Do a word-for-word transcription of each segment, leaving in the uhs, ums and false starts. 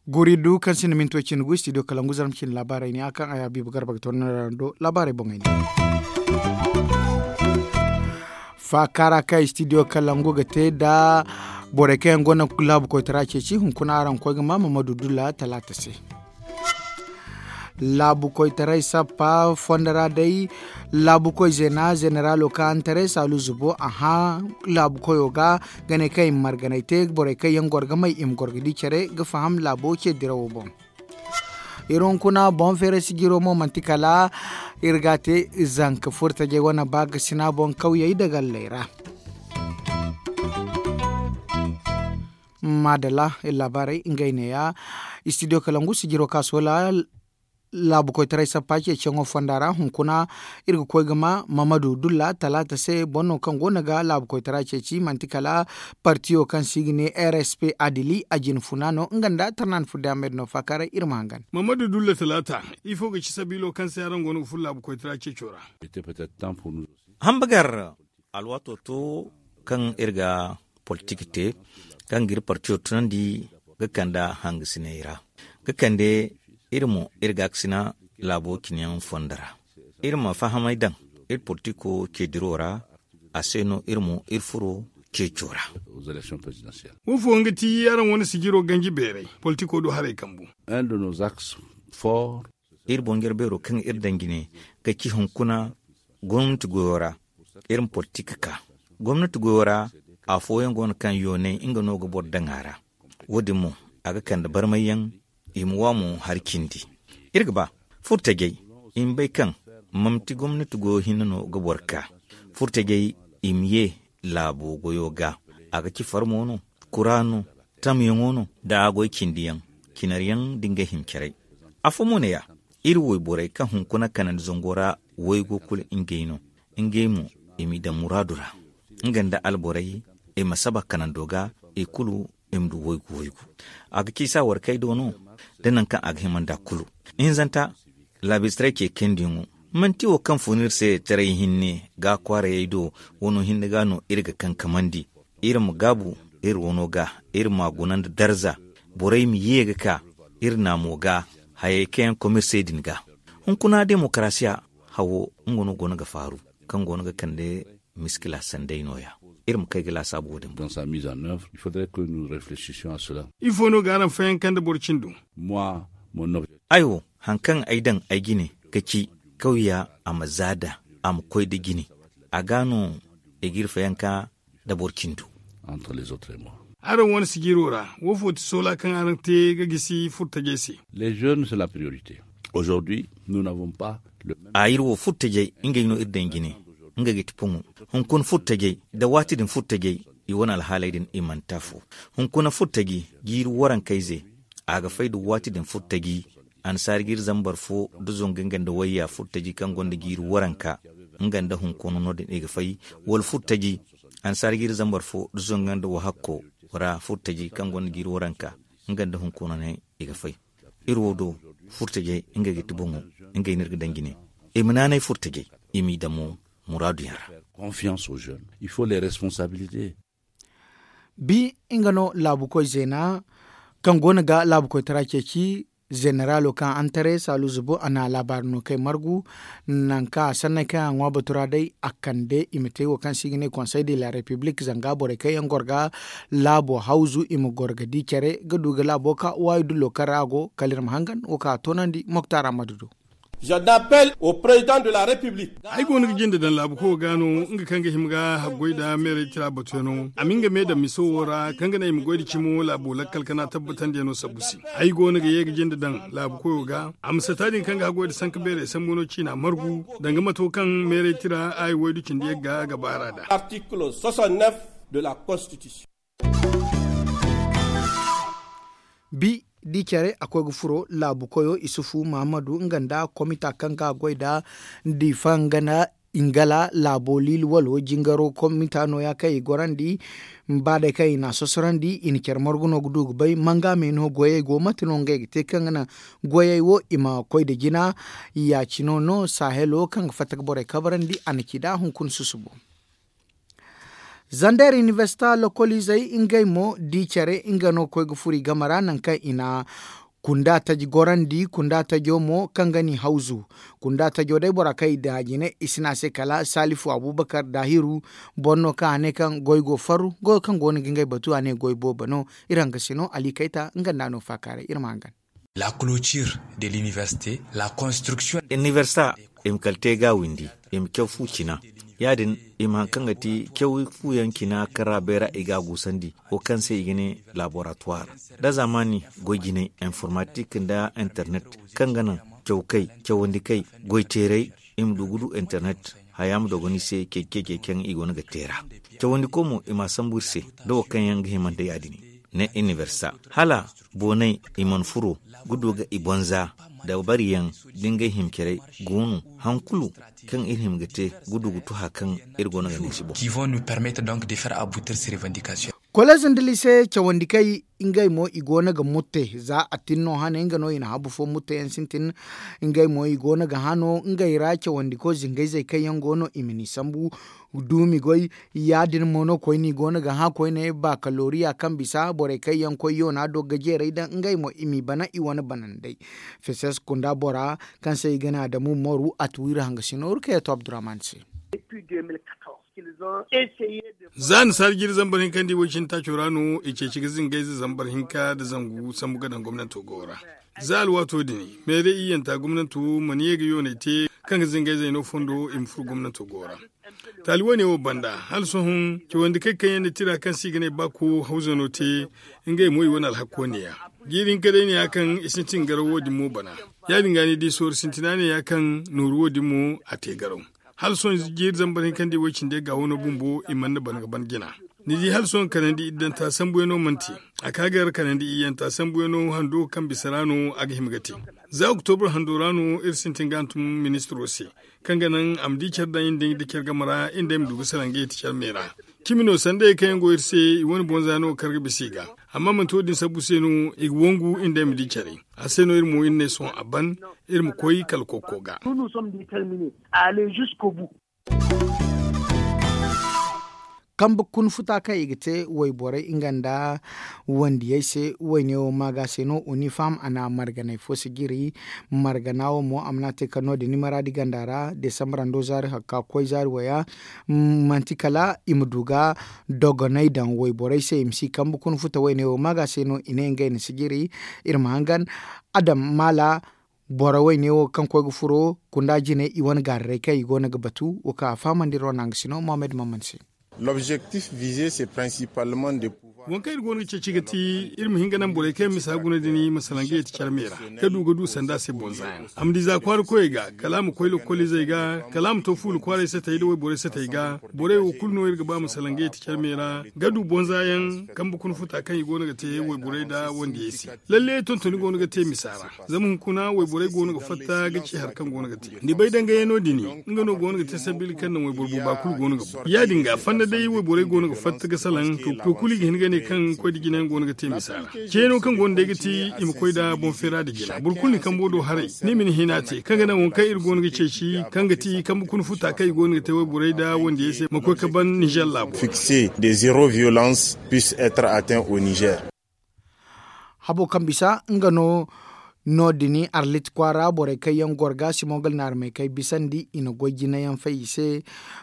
Guri du kaŋ sinda minti way cindi gu studio kalangu zarma cindi laabaarey ne a kaŋ a ya biiba garba ga toonandi ra do laabaarey boŋey ne. Faakaara kaŋ studio kalangu ga te nda borey kaŋ yaŋ gonda laabu koytara ceeci hunkuna araŋ ga koy ga ma mamadu dulla talaata se. Laabu koytaray sappa fondo ra day laabu koy zeena zeneralo kaŋ antaray saalu zubo a hã laabu koyo ga ga ne kaŋ i ma marganay te borey kaŋ yaŋ goro ga may i ma goro ga di care ga faham laabo ce dirawo boŋ. Iri hunkuna boŋ feeray sijiro mo manti kala iri ga a te zanka furtajey wane ba ga sina boŋ kawyey da galley ra. Maadalla iri laabaarey ngey neeya. Studio kalangu sijiro ka soola laabu koytaray sappa ceeciyaŋo fonda ra hunkuna iri ga koy ga ma mamadu dulla talaata se boro no kaŋ go no ga laabu koytara ceeci manti kala partiyo kaŋ se i ga ne rsp adili a jine funa no nga nda tarnan fudde amed no faakaaray iri ma hangan. Mamadu dulla talaata ifo ga ci sabiilo kaŋ se araŋ go no ga furo laabu koytara ceeco ra? Hambagar alwaato to kaŋ iri ga politik te kaŋ ga iri partiyo tunandi ga kande hangasiney ra ga kande iri mo iri gaakasina laabo cine yaŋ fondo ra. Iri ma fahamay daŋ iri politiko ceediro ra a se no iri mo iri furo ceeco ra. Wo fooyaŋ ga ti araŋ wane sijiro ganji beeray politiko do haray kambu. Iri boŋ jare beero kaŋ iri daŋ jine ga ci hunkuna gomnati goyo ra iri ma politik ka gomnati goyo ra. Afooyaŋ go no kaŋ yoonay nga no ga boro daŋ a ra. Wo- din mo a ga kande barmayyaŋ i ma wa mo hari cindi. Iri ga ba furtajey i ma bay kaŋ manti gomnati goyo hinne no ga boro ka furtajey i ma ye laabo goyo ga. A ga ci farmo no kura no tamyaŋo no da a goy cindi yaŋ cinari yaŋ da ngey hincaray. Afo mo ne ya iri woyborey kaŋ hunkuna kanandi zango ra waygo kulu ngey no ngey mo i m'i daŋ muraadu ra nga nda alborey i ma saba kanando ga i kulu i ma du waygu waygu. A ga ci saawarkey do no da nangu kaŋ a ga hima nd'a kulu. Ihinzanta laabistaray ce kayndi yaŋo manti wo kaŋ fun iri se taray hinne ga kwaarayey do wano hinne ga no iri ga kankamandi. Iri ma gaabu iri wano ga iri m'a guna nda darza borey ma ye ga ka iri naamo ga hayey kaŋ yaŋ komirsey din ga. Hunkuna demokarasiya hawo nga no go no ga faaru kaŋ go no ga kande miskila sanday no- ya. Iri ma kay ga laasaabu wo- din boŋ. Ifo no ga araŋ fayanka nda boro cindo? Ay wo hari kaŋ ay daŋ ay jine ga ci kawya a ma zaada a ma koy nda jine. A ga no i ga iri fayanka nda boro cindo. Araŋ wane sijiro ra wo fo ti soola kaŋ araŋ te ga gisi furtajey se? A iri wo furtajey ngey no iri daŋ jine. Nga ga ti poŋo hunkuna furtajey nda waati din furtajey i wane alhaaley din i manti afo. Hunkuna furtaji jiiri warankayze a ga fay nda waati din furtaji. Annasaari ga iri zambar fo nda zongu nga nda wayya furtaji kaŋ gonda jiiri waranka nga nda hunkuna no- din i ga fay. Wala furtaji annasaari ga iri zambar fo nda zongu nga nda wahakko ra furtaji kaŋ gonda jiiri waranka nga nda hunkuna no i ga fay. Iri wo do furtajey ngey ga ti boŋo ngey no iri ga daŋ jine. I ma naanay furtajey i m'i daŋ mo muraadu yaŋ ra. Bi nga no laabukoy zeena kaŋ go no ga laabukoytara ceeci zeneralo kaŋ antaray saalu zubu a na laabaari no kay margu. Nangu kaŋ a sanney kaŋ a ŋwa batu ra day a kande i ma te wo kaŋ se i ga ne konsey de la repiblik zanga borey kaŋ yaŋ goro ga laabo hawzu i ma goro ga di care ga du ga laabo ka waayi dullo kaŋ ra a go kala iri ma hangan wo kaŋ a toonandi moktar ammadu do. Ay go no ga jinde daŋ laabu koyo ga no nga kaŋ ga hima ga haggoy nda meeray tira batuyaŋo a ma nga me daŋ miso wo ra kaŋ ga naŋ i ma goy nda cimo laabo lakkal kana tabbatandiyano sabbu se. Ay go no ga ye ga jinde daŋ laabu koyo ga a ma sata din kaŋ ga haggoy nda sanka beeray sambu no ciina margu danga mato kaŋ meeray tira ay waydu cindi yagga ga baara nd'a. Bi di care a koy ga furo laabu koyo isufu mahammadu nga nda komita kaŋ ga goy nda difa nga nda Ingala laabo liili walo jingaro komita nooya kaŋ i gorandi. Ba day kaŋ i n'a sosorandi i na care margu no ga du ga bay manga me no goyey go mate no ngey ga te kaŋ ga naŋ goyey wo i ma koy nda jina. Ya- cino no sahelo kaŋ ga fatta ga borey kabrandi a na ci nd'a hunkuna susubo. Zander inibersita lokoliizey ngey mo di care nga no ga koy ga furo i game ra nangu kaŋ i na kunda taji gorandi kunda tajo mo kaŋ ga n'i hawzu. Kunda tajo day bora kaŋ i daŋ a jine i si ne a se kala salifu abubakar daahiru. Boro no kaŋ a ne kaŋ goy go farru goyo kaŋ go no ga ngey batu a ne goy boobo no. Iri hangasino ali kayta nga nda no faakaaray iri ma hangan. La clôture de l'université, la construction. Inibersita i ma kala te ga windi i ma caw fu cina. Ya- din i ma hari kaŋ ga ti caw fu yaŋ cina kaŋ ra bayra i ga a guusandi wo kaŋ se i ga ne laboratuwar, da zaamaani goy jinay informatik nda internet kaŋ ga naŋ cawkay cawandi kay goy teeray i ma du ga du internet. Haya ma dogon i se cece cece kaŋ i go no ga te ra. Cawandi koy mo i m'a sambu iri se da wo kaŋ yaŋ ga himandi ya- din ne inibersita hala boonay i mana furo ga du ga i bonza da bari yaŋ da ngey hima care go no. Hari kulu kaŋ iri hima ga te ga du ga tu hari kaŋ iri go no ga ne si boŋ. Koleez nda liise cawandi kay ngey mo i go no ga mutte za a tin no hane nga no i na habu fo mutte yaŋ sintin. Ngey mo i go no ga hano ngey ra cawandi koy zingayzey kaŋ yaŋ go no i ma ni sambu duumi goy. Ya- din mo no koyne i go no ga hã koyne bakaloriya kaŋ bisa borey kaŋ yaŋ koy yoona do ga jeeray daŋ ngey mo i m'i bana i wane banandey. Feses kunda bora kaŋ se i ga ne adamu moru a tuwiri hangasino rukayatu abdurrahman se. Za ni saari jiiri zambar hinka nda i way cine taaco ra no i ceeci ga zingayze zambar hinka nda zangu sambu ga daŋ gomnanto go ra. Za alwaato din meeray iyyanta gomnanto mana ye ga yoonay te kaŋ ga zingayzey no fondo i ma furo gomnanto go ra. Taali wane wo banda hala sohõ cawandi kay kaŋ yaŋ na tira kaŋ se i ga ne baako hawzano te. Ngey mo i wane alhakko ne ya jiiri hinka day ne ya kaŋ i sintin garaw wo- din mo bana. Ya- din ga ni di soori sintina ne ya kaŋ nooru wo- din mo a te garaw. Hala sohõ jiiri zambar hinka nda i way cindi ga wano bumbo i mana bana ga ban jina. Ni di hala sohõ kanandi iddanta sambuyaŋo mana te. A ka gar kanandi iyyanta sambuyaŋo hando kaŋ bisa ra no a ga hima ga te. Za oktobur hando ra no iri sintin ga hantum ministiro se kaŋ ga naŋ a ma di care daŋ iri nda care game ra iri nda ay ma du ga salaŋ ga yeti care me ra. Cimi no sanda ye kaŋ yaŋ go iri se i wane bonza no ga kar ga bisa i ga. Amma manti wo- din sabbu se no i ga wangu iri nda ay ma di care. A se no iri mo iri ne sohõ a ban iri ma koy kala kokko ga. Kambe kuna futa kaŋ i ga te wayborey nga nda wandiyey se wayne wo maaga se no unifam a na marganey fo si jiri. Margana wo mo a mana te kala no- din ni maraadi ganda ra desambarando zaari hakka koy zaari waya. Manti kala i ma du ga dogonay daŋ wayborey se i ma si kambe kuna futa wayne wo maaga se no i ne ngey na si jiri. Iri ma hangan adam maala boro wayne wo kaŋ koy ga furo kunda jine i wane gaararey kaŋ i go no ga batu wo kaŋ a fahamandi iri wane hanga sino mohammed maman se. Waŋ kaŋ iri go no ga ceeci ga ti iri ma hin ga naŋ borey kaŋ yaŋ misa guna din ma salaŋ ga yeti care me ra ga du ga du sanda se bonza yaŋ a ma di za kwaara koyey ga kala a ma koy lokoliizey ga kala a ma to fuula kwaaray satey nda wayborey satey ga. Borey wo kulu no iri ga ba ma salaŋ ga yeti care me ra ga du bonza yaŋ kambe kuna futa kaŋ i go no ga te wayborey nda wandiyey se. Lalle tontoni go no ga te misa ra. Zama hunkuna wayborey go no ga fatta ga ci hari kaŋ go no ga te ni bay dangayano din nga no go no ga te sabili kaŋ naŋ wayboro booba kulu go no ga boro ya- din ga fanda day wayborey go no ga fatta ga salaŋ to kulu i ga hin ga ne kaŋ koy da jinayaŋ go no ga te misa ra. Ceyano kaŋ go no day ga ti i ma koy nda boŋ feera nda jina boro kulu ni kambo do haray ni ma ni hina te kaŋ ga naŋ waŋ kaŋ iri go no ga ceeci kaŋ ga ti kambe kuna futa kaŋ i go no ga te wayborey nda wandiyey se ma koy ga ban nizer laabo. Habo kaŋ bisa nga no no- din arlit kwaara borey kaŋ yaŋ goro ga simogal naarmey kaŋ ay bisandi i na goy jinayaŋ fay i se.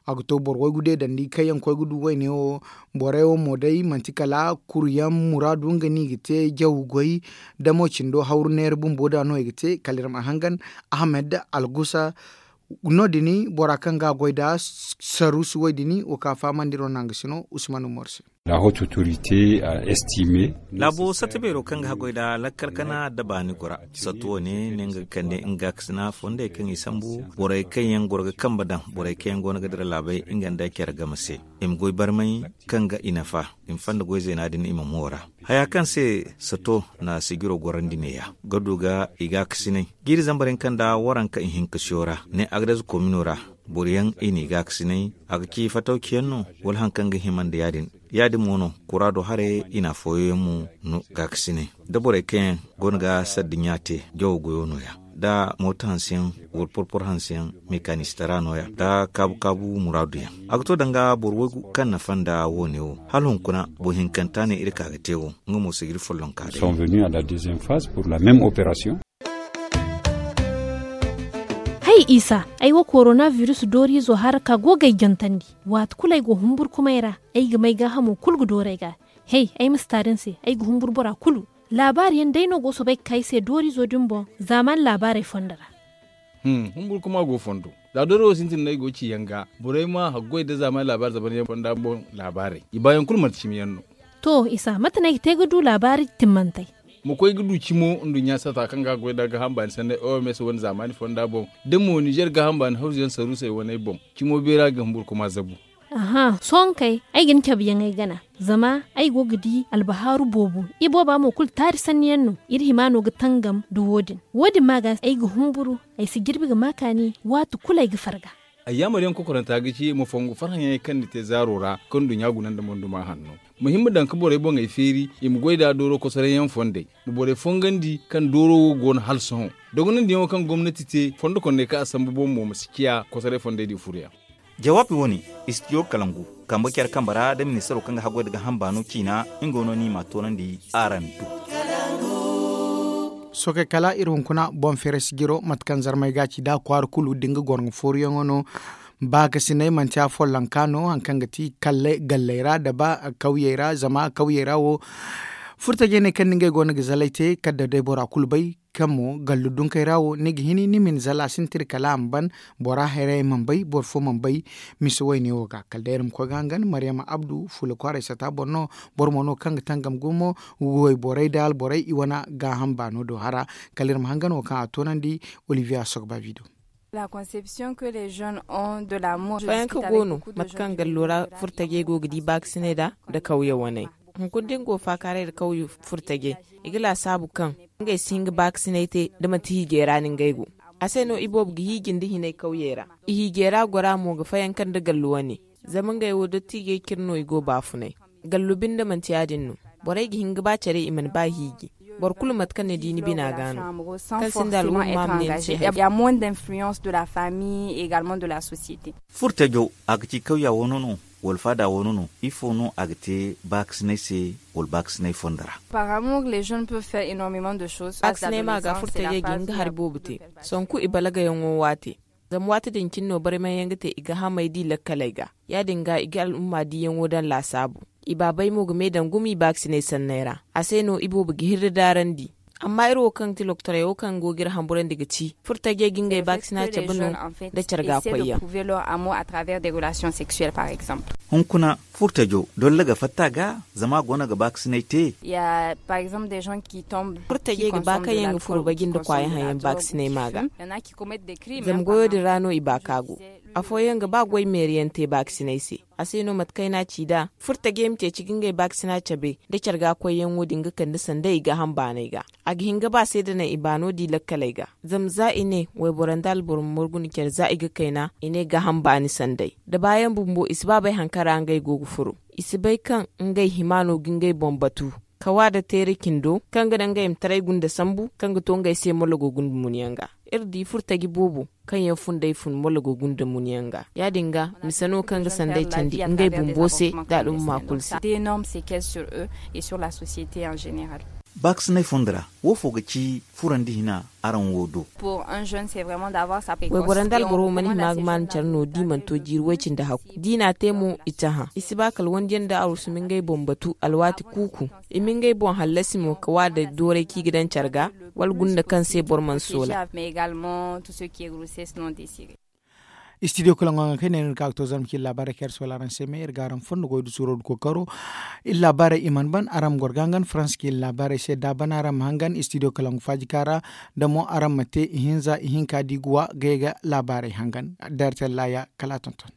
A ga to boro waygu deedandi kaŋ yaŋ koy ga du wayne wo. Borey wo mo day manti kala kuruyaŋ muraadu nga no i ga te jaw goy. Damo cindo hawru neera bumbo da no i ga te kala iri ma hangan ahmed algusa. No- din bora kaŋ ga a goy nda saruusi wo- din wo kaŋ a fahamandi iri wane hanga sino usman umar se. Laabo satta beero kaŋ ga haggoy nda lakkal kana nda baani gora satta wo- ne ne nga ga kande nga ga kasina fondey kaŋ i sambu borey kaŋ yaŋ goro ga kambe daŋ borey kaŋ yaŋ go no ga dira laabey nga nda care game se. I ma goy barmay kaŋ ga i nafa i ma fanda goy zeena din i ma moora. Haya kaŋ se satta na sijiro gorandi neeya ga du ga i ga kasinay jiiri zambar hinka nda waranka ihinka siyo ra ne agades komino ra. Boro yaŋ i n'i gaakasinay, a ga ci fatawci yaŋ no, wala hari kaŋ ga hima nda ya- din. Ya- din mo no kuraado haray i na afooyaŋ yaŋ mo no gaakasinay. Da borey kaŋ yaŋ go no ga saddiɲa te, jawo goyo no- ya, da mooto hanse yaŋ, wala porpor hanse yaŋ, mekanisitara no- ya, da kaabu kaabu muraadu yaŋ. A ga to danga boro waygu kaŋ nafa nda wo- ne wo. Hala hunkuna boro hinkanta ne iri ka ga te wo, nga mo si ga iri follonka day. Hay isa, ay wo korona biris dooriizo hara ka go ga ay jantandi. Waati kulu ay go humburkumay ra, ay ga may gaahamo kulu ga dooru ay ga. Hay, ay ma si taari ni se, ay ga humburu bora kulu. Laabaari yaŋ day no go soobay ga ka ay se dooriizo din boŋ, zaamaani laabaarey fondo ra. Humburkuma go fondo. Za dooro wo sintin no ay go ga ci yaŋ ga, borey ma haggoy nda zaamaani laabaari zaban yaŋ fonda boŋ laabaarey, i baayaŋ kulu manti cimi yaŋ no. To isa, mate no ay ga te ga du laabaari timmantey? Ma koy ga du cimo nduɲɲa sata kaŋ ga goy nda gaaham baani sanney oms wane zaamaani fonda boŋ, da mo nizer gaaham baani hawzu yaŋ saruusey waney boŋ, cimo beera ga humburkuma zabu. Aha, sohõ kay, ay ga ni cabe yaŋ ay gana. Zama ay go ga di albahaaru boobo. Ibooba mo kulu taari sanni yaŋ no. Iri hima no ga tangam nda wo- din. Wo- din ma ga ay ga humburu, ay si jirbi ga ma kaani, waati kulu ay ga farga. Ayyaamar yaŋ kokoranta ga ci ma fongu farhã yaŋey kaŋ ni te zaaro ra, kaŋ nduɲɲa guna nda monduma hanno. Ma hima daŋ ga borey boŋey feeri, i ma goy nda dooro kosoray yaŋ fondey. Ma borey fongandi kaŋ dooro wo go no hala sohõ. Dogonandi yaŋo kaŋ gomnati te fondo kondey kaŋ a sambu boŋ mo ma si ciya kosoray fondey di furo yaŋ. Jawaabi wo- ne, istidiyo kalangu kambe care kambe ra da ministaro kaŋ ga haggoy nda gaaham baano ciina, nga wo no ni m'a toonandi araŋ do. Sohõ kay kala iri hunkuna boŋ feeray sijiro mate kaŋ zarmey ga a ci nd'a kwaara kulu da nga goro nga fooruyaŋo no. Baakasinay manti afollonka no hari kaŋ ga ti kalley galley ra nda ba kawyey ra zama kawyey ra wo furtajey ne kaŋ nda ngey go no ga zalay te kala da day bora kulu bay. Kaŋ mo gallu dunkey ra wo ni ga hini ni ma ni zala a sintin kala a ma ban. Bora hayrayey mana bay boro fo mana bay. Mise wayne wo ga kala day iri ma koy ga hangan maryama abdu fuula kwaaray sata boro no. Boro mo no kaŋ ga tangam gumo wayborey nda alborey i wane gaaham baano do hara. Kala iri ma hangan wo kaŋ a toonandi olivier asogba bido. Fooyaŋ kaŋ go no mate kaŋ gallo ra furtajey go ga di baakasinay nd'a nda kawye waney. Hunkuna da ni go faakaaray nda kawye furtajey, i ga laasaabu kaŋ ngey si hin ga baakasinay te da manti hiijay ra no ngey go. A se no iboobo ga hiiji nda hinay kawyey ra. I hiijay ra gora mo ga fayanka nda gallu wane. Zama ngey wo dottiijey cire no i go baafunay. Gallu binde manti ya- din no. Borey ga hin ga ba care i mana ba hiiji. Boro kulu mate kaŋ ni di ni bina ga no. Kaŋ sinda al'umma ma ne ni se hari. Furtajo, a ga ci kawya wano no, wala faada wano no? Ifo no a ga te baakasinay se, wala baakasinay fondo ra? Baakasinay ma ga furtajey ga hin ga hari boobo te. Sanku i balagayaŋo waate. Zama waati din cine no barmayyaŋ ga te i ga hamey di lakkaley ga. Ya- din ga i ga al'umma diyaŋo daŋ laasaabu. I baabey mo ga me daŋ gumo i baakasinay sanney ra. A se no iboobo ga hirri daarandi. Amma iri wo kaŋ ga ti lokotorey wo kaŋ go ga iri hamburandi ga ci furtajey ga ngey baakasina cabe no nda care ga koyyaŋ. Hunkuna furtajo dolla ga fatta ga, zama a go no ga baakasinay te. Furtajey ga ba kaŋ yaŋ ga furo baji nda kwaayaŋ haŋ yaŋ baakasinay ma ga. Zama goyo din ra no i ba ka go. Afooyaŋ ga ba goy meeriyaŋ te baakasinay se. A se no mate kaŋ ay n'a ci nd'a furtajey ma ceeci ga ngey baakasina cabe nda care ga koyyaŋo din ga kande sanda i gaaham baanay ga. A ga hin ga ba se da naŋ i baano di lakkaley ga. Zama za i ne wayboro nda alboro ma margu nda care za i ga kayna i ne gaaham baani sanday da baayaŋ bumbo i si ba bay hari kaŋ ra ngey go ga furo. I si bay kaŋ ngey hima no ga ngey boŋ batu. Kawa da teere cindo kaŋ ga daŋ ngey ma taray gunda sambu kaŋ ga to ngey se mologo gunda munyaŋ ga. Iri di furtaji boobo kaŋ yaŋ fun day fun mologo gunda munyaŋ ga. Ya- din ga mise no kaŋ ga sanday candi ngey bumbo se nda al'umma kulu se. Baakasinay fondo ra wo fo ga ci furandi hina araŋ wo do? Wayboro nda alboro mana hima ga maanu care no da i mana to jiiri way cindi hakku da i n'a te mo i cahã i si ba kala wandiyaŋ nda arwasu ma ngey boŋ batu alwaati kuuku. I ma ngey boŋ hallasi mo ka wa da dooray kaŋ i ga daŋ care ga wala gunda kaŋ se boro mana soola. Istidiyo kalaŋo haŋ kaŋ i ne no iri ga ka ga to zarma kaŋ iri laabaarey kaŋ iri soola araŋ se me iri ga araŋ fondo goy da suuro nda kookaro. Iri laabaarey i mana ban araŋ ma goro ga hangan faransa kaŋ iri laabaarey se da a ban araŋ ma hangan istidiyo kalaŋo faaji kaŋ ra. Da mo araŋ ma te ihinza ihinka da i ga wa ga ye ga laabaarey hangan. Dartella ya kala a tonton.